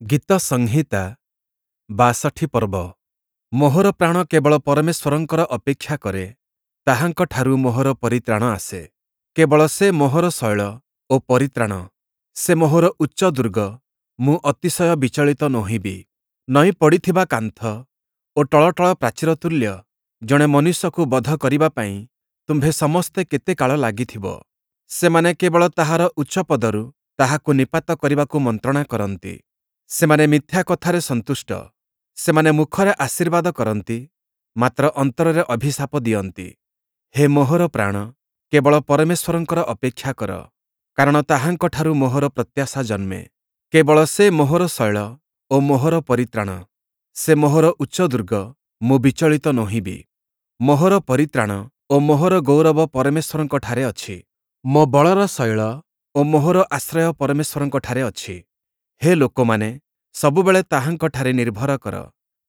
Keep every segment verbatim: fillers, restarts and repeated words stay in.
ଗୀତସଂହିତା ବାଷଠି ପର୍ବ। ମୋହର ପ୍ରାଣ କେବଳ ପରମେଶ୍ୱରଙ୍କର ଅପେକ୍ଷା କରେ, ତାହାଙ୍କଠାରୁ ମୋହର ପରିତ୍ରାଣ ଆସେ। କେବଳ ସେ ମୋହର ଶୈଳ ଓ ପରିତ୍ରାଣ, ସେ ମୋହର ଉଚ୍ଚ ଦୁର୍ଗ, ମୁଁ ଅତିଶୟ ବିଚଳିତ ନୋହିବି। ନଇଁ ପଡ଼ିଥିବା କାନ୍ଥ ଓ ଟଳଟଳ ପ୍ରାଚୀର ତୁଲ୍ୟ ଜଣେ ମନୁଷ୍ୟକୁ ବଧ କରିବା ପାଇଁ ତୁମ୍ଭେ ସମସ୍ତେ କେତେ କାଳ ଲାଗିଥିବ? ସେମାନେ କେବଳ ତାହାର ଉଚ୍ଚ ପଦରୁ ତାହାକୁ ନିପାତ କରିବାକୁ ମନ୍ତ୍ରଣା କରନ୍ତି। ସେମାନେ ମିଥ୍ୟା କଥାରେ ସନ୍ତୁଷ୍ଟ। ସେମାନେ ମୁଖରେ ଆଶୀର୍ବାଦ କରନ୍ତି, ମାତ୍ର ଅନ୍ତରରେ ଅଭିଶାପ ଦିଅନ୍ତି। ହେ ମୋହର ପ୍ରାଣ, କେବଳ ପରମେଶ୍ୱରଙ୍କର ଅପେକ୍ଷା କର, କାରଣ ତାହାଙ୍କଠାରୁ ମୋହର ପ୍ରତ୍ୟାଶା ଜନ୍ମେ। କେବଳ ସେ ମୋହର ଶୈଳ ଓ ମୋହର ପରିତ୍ରାଣ, ସେ ମୋହର ଉଚ୍ଚ ଦୁର୍ଗ, ମୁଁ ବିଚଳିତ ନୋହିବି। ମୋହର ପରିତ୍ରାଣ ଓ ମୋହର ଗୌରବ ପରମେଶ୍ୱରଙ୍କଠାରେ ଅଛି। ମୋ ବଳର ଶୈଳ ଓ ମୋହର ଆଶ୍ରୟ ପରମେଶ୍ୱରଙ୍କଠାରେ ଅଛି। ହେ ଲୋକମାନେ, ସବୁବେଳେ ତାହାଙ୍କଠାରେ ନିର୍ଭର କର।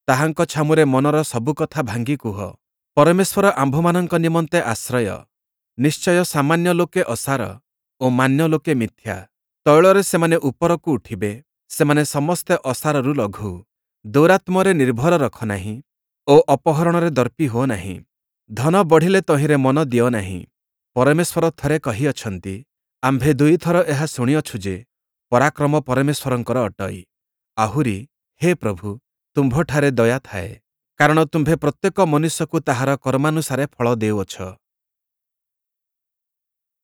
ତାହାଙ୍କ ଛାମୁରେ ମନର ସବୁ କଥା ଭାଙ୍ଗି କୁହ। ପରମେଶ୍ୱର ଆମ୍ଭମାନଙ୍କ ନିମନ୍ତେ ଆଶ୍ରୟ। ନିଶ୍ଚୟ ସାମାନ୍ୟ ଲୋକେ ଅସାର ଓ ମାନ୍ୟ ଲୋକେ ମିଥ୍ୟା। ତୈଳରେ ସେମାନେ ଉପରକୁ ଉଠିବେ, ସେମାନେ ସମସ୍ତେ ଅସାରରୁ ଲଘୁ। ଦୌରାତ୍ମ୍ୟରେ ନିର୍ଭର ରଖ ନାହିଁ ଓ ଅପହରଣରେ ଦର୍ପୀ ହୁଅ ନାହିଁ। ଧନ ବଢ଼ିଲେ ତହିଁରେ ମନ ଦିଅ ନାହିଁ। ପରମେଶ୍ୱର ଥରେ କହିଅଛନ୍ତି, ଆମ୍ଭେ ଦୁଇଥର ଏହା ଶୁଣିଅଛୁ ଯେ, ପରାକ୍ରମ ପରମେଶ୍ୱରଙ୍କର ଅଟଇ। ଆହୁରି, ହେ ପ୍ରଭୁ, ତୁମ୍ଭଠାରେ ଦୟା ଥାଏ, କାରଣ ତୁମ୍ଭେ ପ୍ରତ୍ୟେକ ମନୁଷ୍ୟକୁ ତାହାର କର୍ମାନୁସାରେ ଫଳ ଦେଉଅଛ।